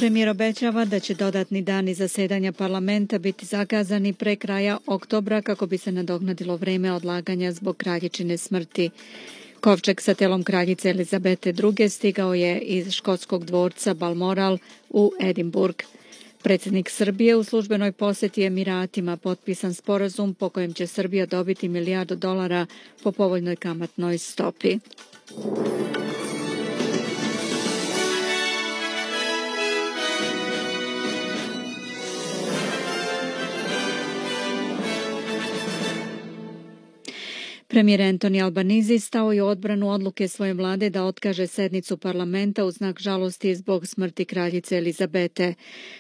Premijer obećava da će dodatni dani zasedanja parlamenta biti zakazani pre kraja oktobra kako bi se nadoknadilo vreme odlaganja zbog kraljičine smrti. Kovčeg sa telom kraljice Elizabete II. Stigao je iz škotskog dvorca Balmoral u Edinburgh. Predsjednik Srbije u službenoj posjeti Emiratima potpisan sporazum po kojem će Srbija dobiti $1 milijardu po povoljnoj kamatnoj stopi. Premijer Anthony Albanese stao je u odbranu odluke svoje vlade da otkaže sednicu parlamenta u znak žalosti zbog smrti kraljice Elizabete.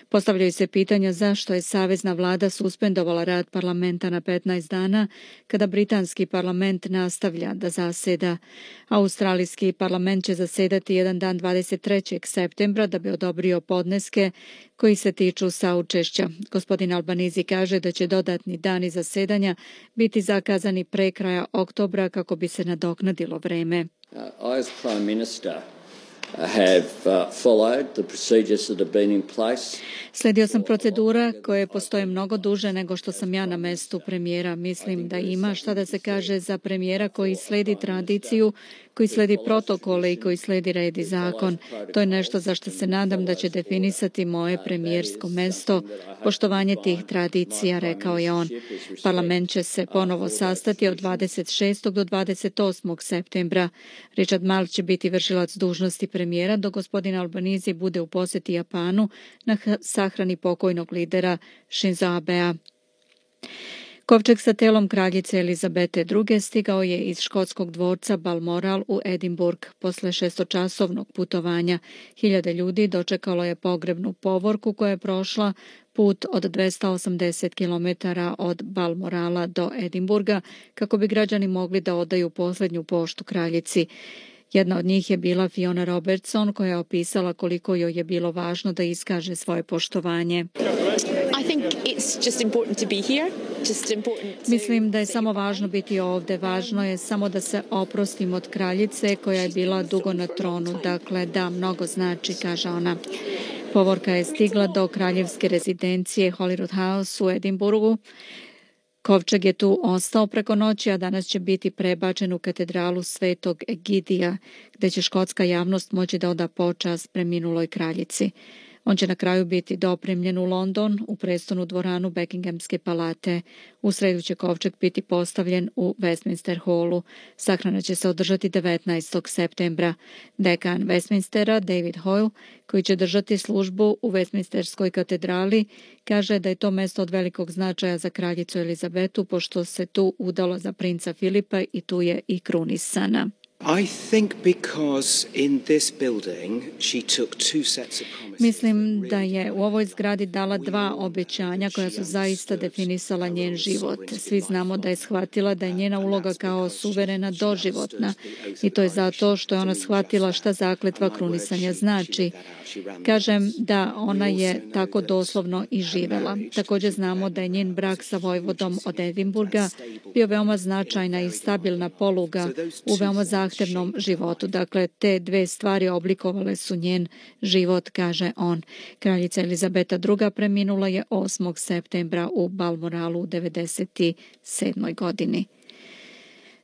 Postavljaju se pitanja zašto je savezna vlada suspendovala rad parlamenta na 15 dana kada britanski parlament nastavlja da zaseda. Australijski parlament će zasedati jedan dan 23. septembra da bi odobrio podneske koji se tiču saučešća. Gospodin Albanese kaže da će dodatni dani zasedanja biti zakazani pre kraja oktobra kako bi se nadoknadilo vreme. I as Prime Minister have followed the procedures that have been in place. Sledio sam procedura koje postoje mnogo duže nego što sam ja na mestu premijera. Mislim da ima šta da se kaže za premijera koji sledi tradiciju, koji sledi protokole i koji sledi red i zakon. To je nešto za što se nadam da će definisati moje premijersko mesto, poštovanje tih tradicija, rekao je on. Parlament će se ponovo sastati od 26. do 28. septembra. Richard Marles će biti vršilac dužnosti premijera dok gospodin Albanese bude u posjeti Japanu na sahrani pokojnog lidera Shinzo Abea. Kovčeg sa telom kraljice Elizabete II. Stigao je iz škotskog dvorca Balmoral u Edinburgh. Posle 6-časovnog putovanja 1000 ljudi dočekalo je pogrebnu povorku koja je prošla put od 280 km od Balmorala do Edinburga kako bi građani mogli da odaju posljednju poštu kraljici. Jedna od njih je bila Fiona Robertson koja je opisala koliko joj je bilo važno da iskaže svoje poštovanje. Mislim da je samo važno biti ovdje. Važno je samo da se oprostim od kraljice koja je bila dugo na tronu. Dakle, da, mnogo znači, kaže ona. Povorka je stigla do kraljevske rezidencije Holyrood House u Edinburgu. Kovčeg je tu ostao preko noći, a danas će biti prebačen u katedralu Svetog Egidija, gdje će škotska javnost moći da oda počast preminuloj kraljici. On će na kraju biti dopremljen u London, u prestonu dvoranu Buckinghamske palate. U sredu će kovčeg biti postavljen u Westminster Hallu. Sahrana će se održati 19. septembra. Dekan Westminstera, David Hoyle, koji će držati službu u Westminsterskoj katedrali, kaže da je to mesto od velikog značaja za kraljicu Elizabetu, pošto se tu udala za princa Filipa i tu je i krunisana. Mislim da je u ovoj zgradi dala 2 obećanja koja su zaista definisala njen život. Svi znamo da je shvatila da je njena uloga kao suverena doživotna i to je zato što je ona shvatila šta zakletva krunisanja znači. Kažem da ona je tako doslovno i živela. Također znamo da je njen brak sa vojvodom od Edinburga bio veoma značajna i stabilna poluga u veoma zahtevnom životu. Dakle, te 2 stvari oblikovale su njen život, kaže on. Kraljica Elizabeta II. Preminula je 8. septembra u Balmoralu u 97. godini.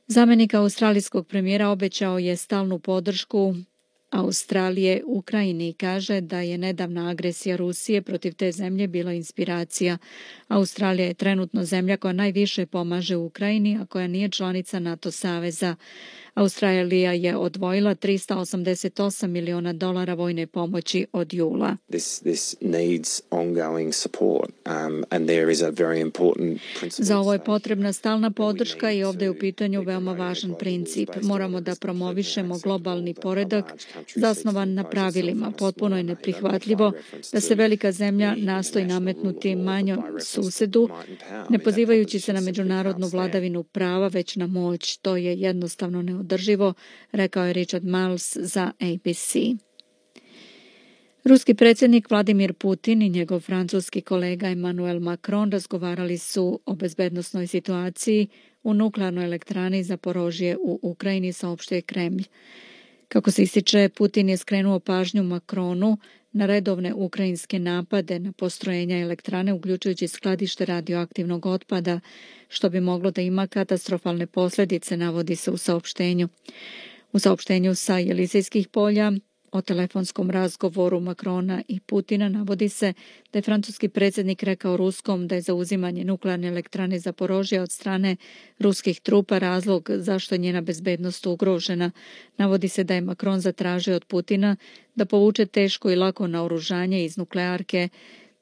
Zamjenik australijskog premijera obećao je stalnu podršku Australije Ukrajini i kaže da je nedavna agresija Rusije protiv te zemlje bila inspiracija. Australija je trenutno zemlja koja najviše pomaže Ukrajini, a koja nije članica NATO saveza. Australija je odvojila $388 miliona vojne pomoći od jula. This needs ongoing support, and there is a very important principle. Za ovo je potrebna stalna podrška i ovdje je u pitanju veoma važan princip. Moramo da promovišemo globalni poredak zasnovan na pravilima. Potpuno je neprihvatljivo da se velika zemlja nastoji nametnuti manjom susedu, ne pozivajući se na međunarodnu vladavinu prava, već na moć. To je jednostavno neodrživo, rekao je Richard Marles za ABC. Ruski predsjednik Vladimir Putin i njegov francuski kolega Emmanuel Macron razgovarali su o bezbednosnoj situaciji u nuklearnoj elektrani Zaporožje u Ukrajini, saopštio je Kremlj. Kako se ističe, Putin je skrenuo pažnju Macronu na redovne ukrajinske napade na postrojenja elektrane, uključujući skladište radioaktivnog otpada, što bi moglo da ima katastrofalne posljedice, navodi se u saopštenju. U saopštenju sa Elizejskih polja o telefonskom razgovoru Macrona i Putina navodi se da je francuski predsjednik rekao Ruskom da je zauzimanje nuklearne elektrane Zaporožja od strane ruskih trupa razlog zašto je njena bezbednost ugrožena. Navodi se da je Macron zatražio od Putina da povuče teško i lako naoružanje iz nuklearke,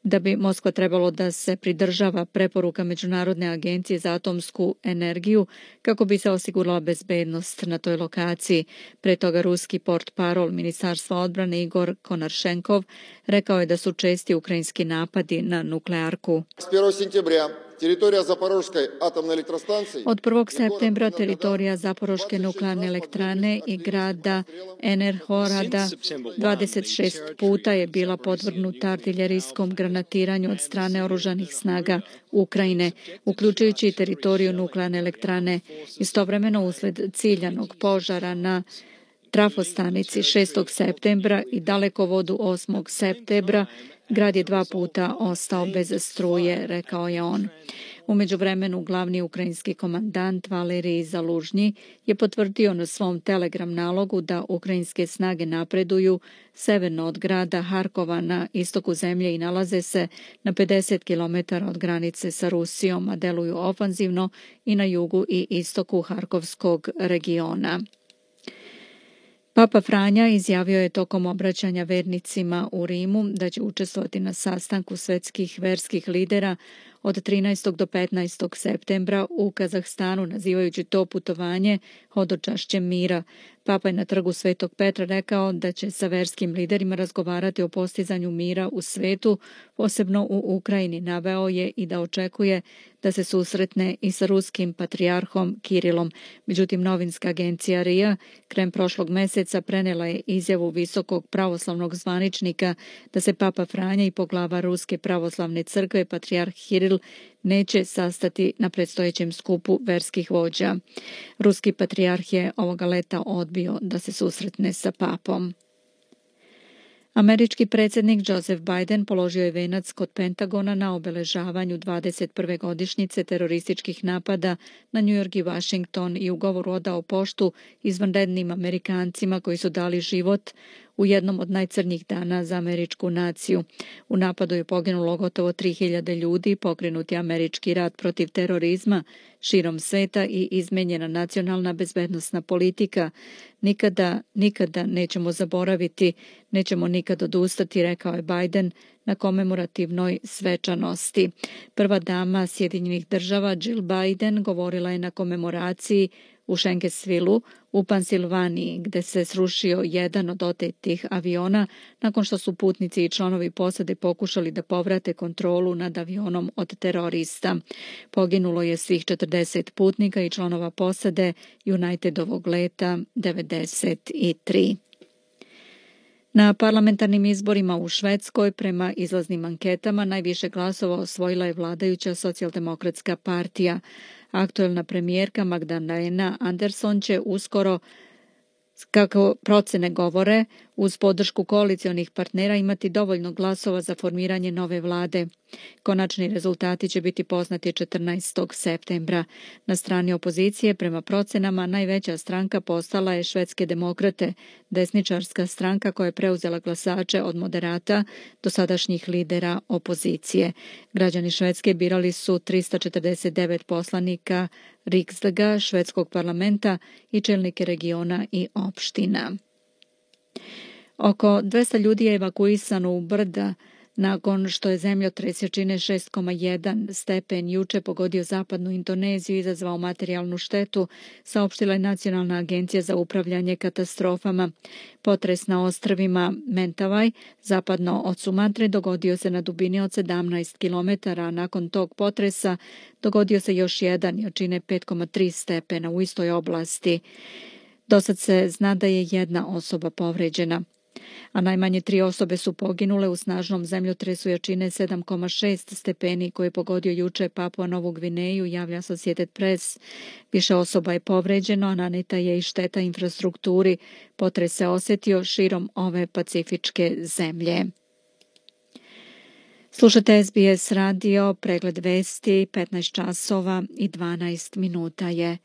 da bi Moskva trebalo da se pridržava preporuka Međunarodne agencije za atomsku energiju kako bi se osigurala bezbednost na toj lokaciji. Pre toga ruski portparol Ministarstva odbrane Igor Konaršenkov rekao je da su česti ukrajinski napadi na nuklearku. Od 1. septembra teritorija Zaporoške nuklearne elektrane i grada Enerhorada 26 puta je bila podvrgnuta artiljerijskom granatiranju od strane oružanih snaga Ukrajine, uključujući i teritoriju nuklearne elektrane. Istovremeno, usled ciljanog požara na trafostanici 6. septembra i dalekovodu 8. septembra, grad je 2 puta ostao bez struje, rekao je on. U međuvremenu, glavni ukrajinski komandant Valerij Zalužnji je potvrdio na svom telegram nalogu da ukrajinske snage napreduju severno od grada Harkova na istoku zemlje i nalaze se na 50 km od granice sa Rusijom, a deluju ofanzivno i na jugu i istoku Harkovskog regiona. Papa Franja izjavio je tokom obraćanja vernicima u Rimu da će učestvovati na sastanku svetskih verskih lidera od 13. do 15. septembra u Kazahstanu, nazivajući to putovanje hodočašćem mira. Papa je na trgu Svetog Petra rekao da će sa verskim liderima razgovarati o postizanju mira u svetu, posebno u Ukrajini. Naveo je i da očekuje da se susretne i sa ruskim patrijarhom Kirilom. Međutim, novinska agencija RIA krajem prošlog meseca prenela je izjavu visokog pravoslavnog zvaničnika da se Papa Franja i poglava Ruske pravoslavne crkve, patrijarh Kiril, neće sastati na predstojećem skupu verskih vođa. Ruski patrijarh je ovoga leta odbio da se susretne sa papom. Američki predsjednik Joseph Biden položio je venac kod Pentagona na obeležavanju 21. godišnjice terorističkih napada na New York i Washington i u govoru odao poštu izvanrednim Amerikancima koji su dali život u jednom od najcrnjih dana za američku naciju. U napadu je poginulo gotovo 3000 ljudi, pokrenut je američki rat protiv terorizma širom sveta i izmenjena nacionalna bezbednosna politika. Nikada nećemo zaboraviti, nećemo nikad odustati, rekao je Biden na komemorativnoj svečanosti. Prva dama Sjedinjenih država Jill Biden govorila je na komemoraciji u Schenksvilu u Pensilvaniji, gde se srušio jedan od otetih aviona nakon što su putnici i članovi posade pokušali da povrate kontrolu nad avionom od terorista. Poginulo je svih 40 putnika i članova posade Unitedovog leta 93. Na parlamentarnim izborima u Švedskoj, prema izlaznim anketama, najviše glasova osvojila je vladajuća socijaldemokratska partija. Aktuelna premijerka Magdalena Andersson će uskoro, kako procene govore, uz podršku koalicionih partnera imati dovoljno glasova za formiranje nove vlade. Konačni rezultati će biti poznati 14. septembra. Na strani opozicije, prema procenama, najveća stranka postala je Švedske demokrate, desničarska stranka koja je preuzela glasače od moderata, dosadašnjih lidera opozicije. Građani Švedske birali su 349 poslanika Riksdaga, švedskog parlamenta i čelnike regiona i opština. Oko 200 ljudi je evakuisano u brda nakon što je zemljotres jačine 6,1 stepen juče pogodio zapadnu Indoneziju i izazvao materijalnu štetu, saopštila je Nacionalna agencija za upravljanje katastrofama. Potres na ostrvima Mentawai, zapadno od Sumatre, dogodio se na dubini od 17 km, a nakon tog potresa dogodio se još jedan jačine 5,3 stepena u istoj oblasti. Dosad se zna da je jedna osoba povređena. a najmanje 3 osobe su poginule u snažnom zemljotresu jačine 7,6 stepeni koji je pogodio juče Papua Novu Gvineju, javlja Associated Press. Više osoba je povređeno, a naneta je i šteta infrastrukturi. Potres se osjetio širom ove pacifičke zemlje. Slušate SBS radio, pregled vesti, 15 časova i 12 minuta je.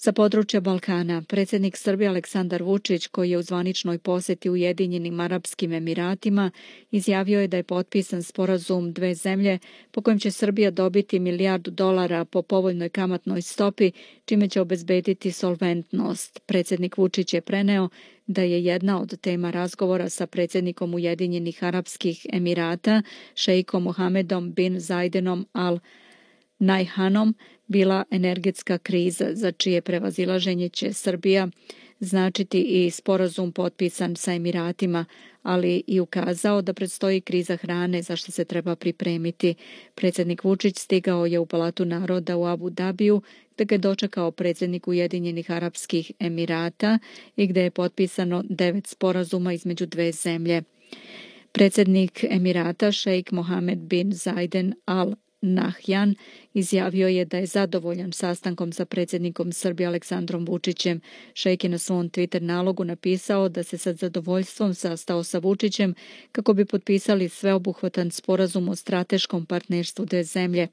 Sa područja Balkana, predsjednik Srbije Aleksandar Vučić, koji je u zvaničnoj posjeti Ujedinjenim Arapskim Emiratima, izjavio je da je potpisan sporazum dve zemlje po kojem će Srbija dobiti $1 milijardu po povoljnoj kamatnoj stopi, čime će obezbediti solventnost. Predsjednik Vučić je preneo da je jedna od tema razgovora sa predsjednikom Ujedinjenih Arapskih Emirata, šejkom Mohamedom bin Zaidenom Al Nahjanom, bila energetska kriza, za čije prevazilaženje će Srbija značiti i sporazum potpisan sa Emiratima, ali i ukazao da predstoji kriza hrane za što se treba pripremiti. Predsjednik Vučić stigao je u Palatu naroda u Abu Dabiju, gdje ga je dočekao predsjednik Ujedinjenih Arapskih Emirata i gdje je potpisano 9 sporazuma između dve zemlje. Predsjednik Emirata, šejk Mohamed bin Zayden Al Nahjan, izjavio je da je zadovoljan sastankom sa predsjednikom Srbije Aleksandrom Vučićem. Šejk je na svom Twitter nalogu napisao da se sa zadovoljstvom sastao sa Vučićem kako bi potpisali sveobuhvatan sporazum o strateškom partnerstvu dve zemlje.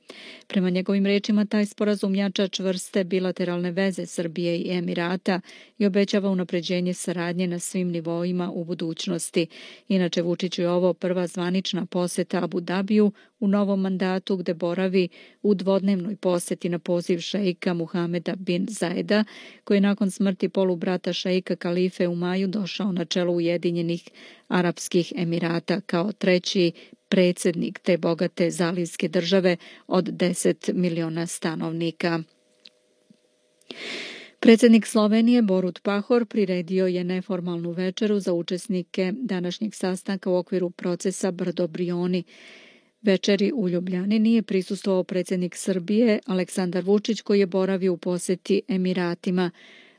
Prema njegovim rečima, taj sporazum jača čvrste bilateralne veze Srbije i Emirata i obećava unapređenje saradnje na svim nivoima u budućnosti. Inače, Vučiću je ovo prva zvanična posjeta Abu Dabiju u novom mandatu, gde boravi u dvodnevnoj posjeti na poziv šejka Muhameda bin Zajeda, koji je nakon smrti polubrata šejka Kalife u maju došao na čelo Ujedinjenih Arapskih Emirata kao treći predsjednik te bogate zalivske države od 10 miliona stanovnika. Predsjednik Slovenije Borut Pahor priredio je neformalnu večeru za učesnike današnjeg sastanka u okviru procesa Brdo Brioni. Večeri u Ljubljani nije prisustvovao predsjednik Srbije Aleksandar Vučić, koji je boravio u posjeti Emiratima.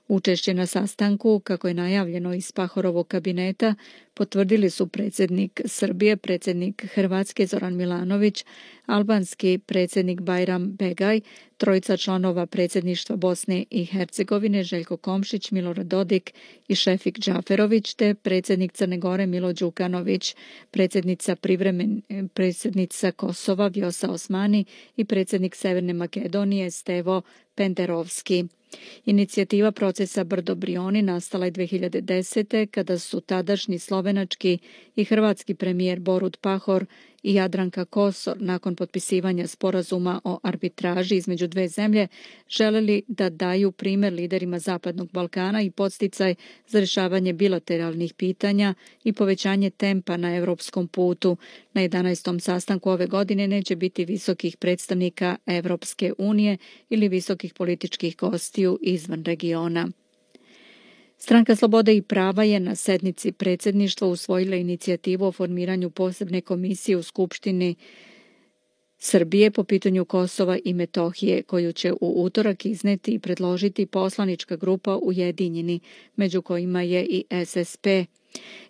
Učešće na sastanku, kako je najavljeno iz Pahorovog kabineta, potvrdili su predsjednik Srbije, predsjednik Hrvatske Zoran Milanović, albanski predsjednik Bajram Begaj, trojica članova predsjedništva Bosne i Hercegovine Željko Komšić, Milorad Dodik i Šefik Džaferović, te predsjednik Crne Gore Milo Đukanović, predsjednica Kosova Vjosa Osmani i predsjednik Severne Makedonije Stevo Penderovski. Inicijativa procesa Brdo Brioni nastala je 2010. kada su tadašnji slovenački i hrvatski premijer Borut Pahor i Jadranka Kosor nakon potpisivanja sporazuma o arbitraži između dve zemlje želeli da daju primjer liderima Zapadnog Balkana i podsticaj za rješavanje bilateralnih pitanja i povećanje tempa na europskom putu. Na 11. sastanku ove godine neće biti visokih predstavnika Evropske unije ili visokih političkih gostiju izvan regiona. Stranka Slobode i prava je na sednici predsjedništva usvojila inicijativu o formiranju posebne komisije u Skupštini Srbije po pitanju Kosova i Metohije, koju će u utorak izneti i predložiti poslanička grupa Ujedinjeni, među kojima je i SSP.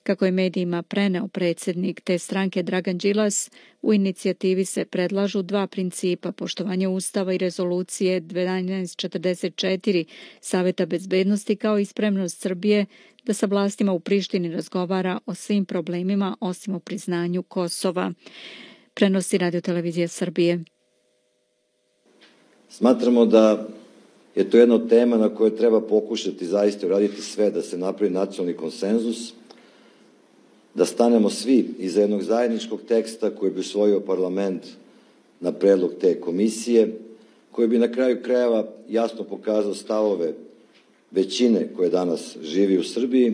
Kako je medijima preneo predsjednik te stranke Dragan Đilas, u inicijativi se predlažu dva principa: poštovanje Ustava i rezolucije 1244 Saveta bezbednosti, kao i spremnost Srbije da sa vlastima u Prištini razgovara o svim problemima osim o priznanju Kosova. Prenosi Radio-televizija Srbije. Smatramo da je to jedna od tema na kojoj treba pokušati zaista uraditi sve da se napravi nacionalni konsenzus, da stanemo svi iza jednog zajedničkog teksta koji bi usvojio parlament na predlog te komisije, koji bi na kraju krajeva jasno pokazao stavove većine koje danas živi u Srbiji.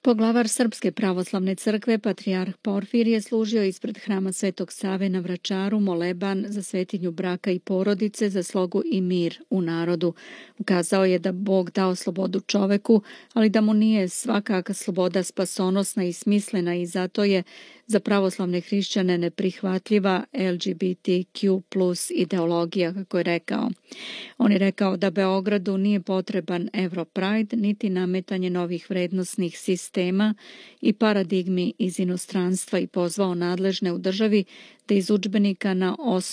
Poglavar Srpske pravoslavne crkve, patrijarh Porfir, je služio ispred hrama Svetog Save na Vračaru moleban za svetinju braka i porodice, za slogu i mir u narodu. Ukazao je da Bog dao slobodu čoveku, ali da mu nije svakaka sloboda spasonosna i smislena i zato je za pravoslavne hrišćane neprihvatljiva LGBTQ plus ideologija, kako je rekao. On je rekao da Beogradu nije potreban Europride, niti nametanje novih vrednosnih sistema i paradigmi iz inostranstva i pozvao nadležne u državi da iz udžbenika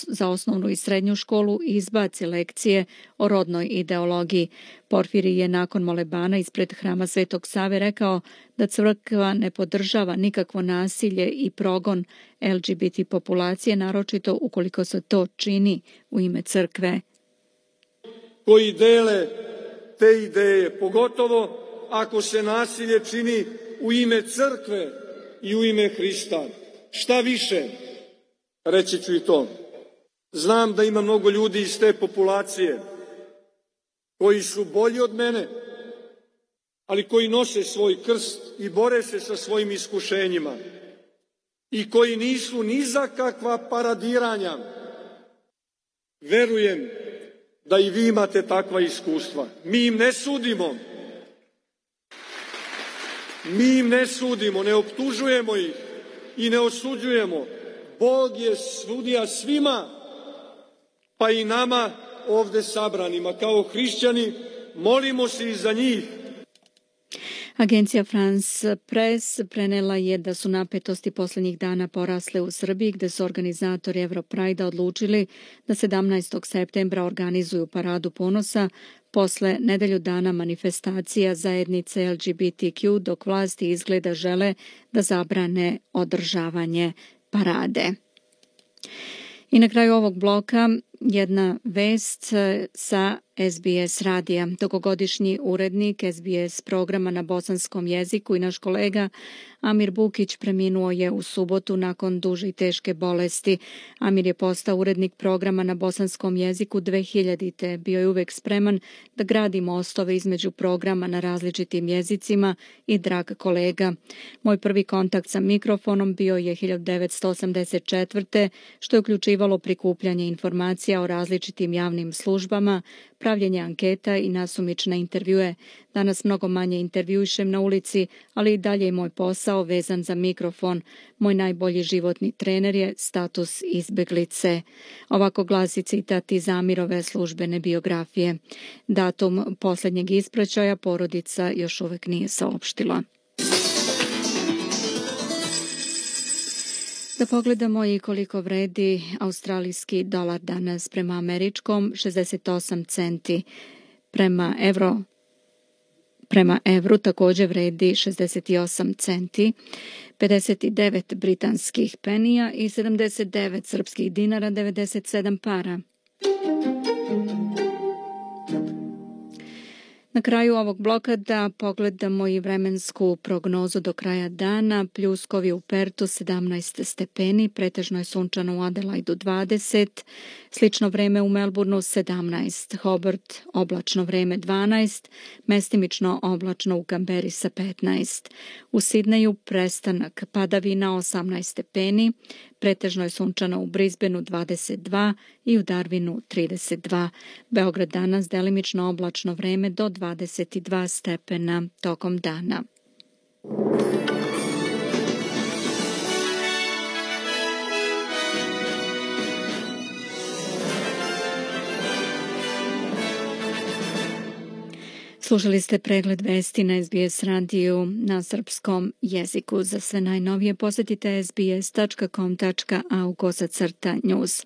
za osnovnu i srednju školu izbaci lekcije o rodnoj ideologiji. Porfiri je nakon molebana ispred hrama Svetog Save rekao da crkva ne podržava nikakvo nasilje i progon LGBT populacije, naročito ukoliko se to čini u ime crkve. Koji dele te ideje, pogotovo ako se nasilje čini u ime crkve i u ime Hrista. Šta više, reći ću i to. Znam da ima mnogo ljudi iz te populacije koji su bolji od mene, ali koji nose svoj krst i bore se sa svojim iskušenjima i koji nisu ni za kakva paradiranja. Verujem da i vi imate takva iskustva. Mi im ne sudimo. Mi im ne sudimo, ne optužujemo ih i ne osuđujemo. Bog je sudija svima, pa i nama ovde sabranima. Kao hrišćani molimo se i za njih. Agencija France Press prenela je da su napetosti posljednjih dana porasle u Srbiji, gde su organizatori Europride odlučili da 17. septembra organizuju paradu ponosa posle nedelju dana manifestacija zajednice LGBTQ, dok vlasti izgleda žele da zabrane održavanje parade. I na kraju ovog bloka jedna vest sa SBS radija. Dugogodišnji urednik SBS programa na bosanskom jeziku i naš kolega Amir Bukić preminuo je u subotu nakon duže i teške bolesti. Amir je postao urednik programa na bosanskom jeziku 2000. Bio je uvek spreman da gradi mostove između programa na različitim jezicima i drag kolega. Moj prvi kontakt sa mikrofonom bio je 1984. što je uključivalo prikupljanje informacija o različitim javnim službama, pravljenje anketa i nasumične intervjue. Danas mnogo manje intervjuišem na ulici, ali i dalje je moj posao vezan za mikrofon. Moj najbolji životni trener je status izbeglice. Ovako glasi citat iz Amirove službene biografije. Datum posljednjeg ispraćaja porodica još uvek nije saopštila. Da pogledamo i koliko vredi australijski dolar danas prema američkom, 68 centi. Prema evru također vredi 68 centi, 59 britanskih penija i 79 srpskih dinara, 97 para. Na kraju ovog bloka da pogledamo i vremensku prognozu do kraja dana. Pljuskovi u Pertu 17 stepeni, pretežno je sunčano u Adelaidu 20, slično vreme u Melbourneu 17, Hobart oblačno vreme 12, mestimično oblačno u Kamberi sa 15. U Sidneju prestanak padavina 18 stepeni, pretežno je sunčano u Brisbaneu 22 i u Darwinu 32. Beograd danas delimično oblačno vreme do 22 stepena tokom dana. Slušali ste pregled vesti na SBS radiju na srpskom jeziku. Za sve najnovije posjetite sbs.com.au/news.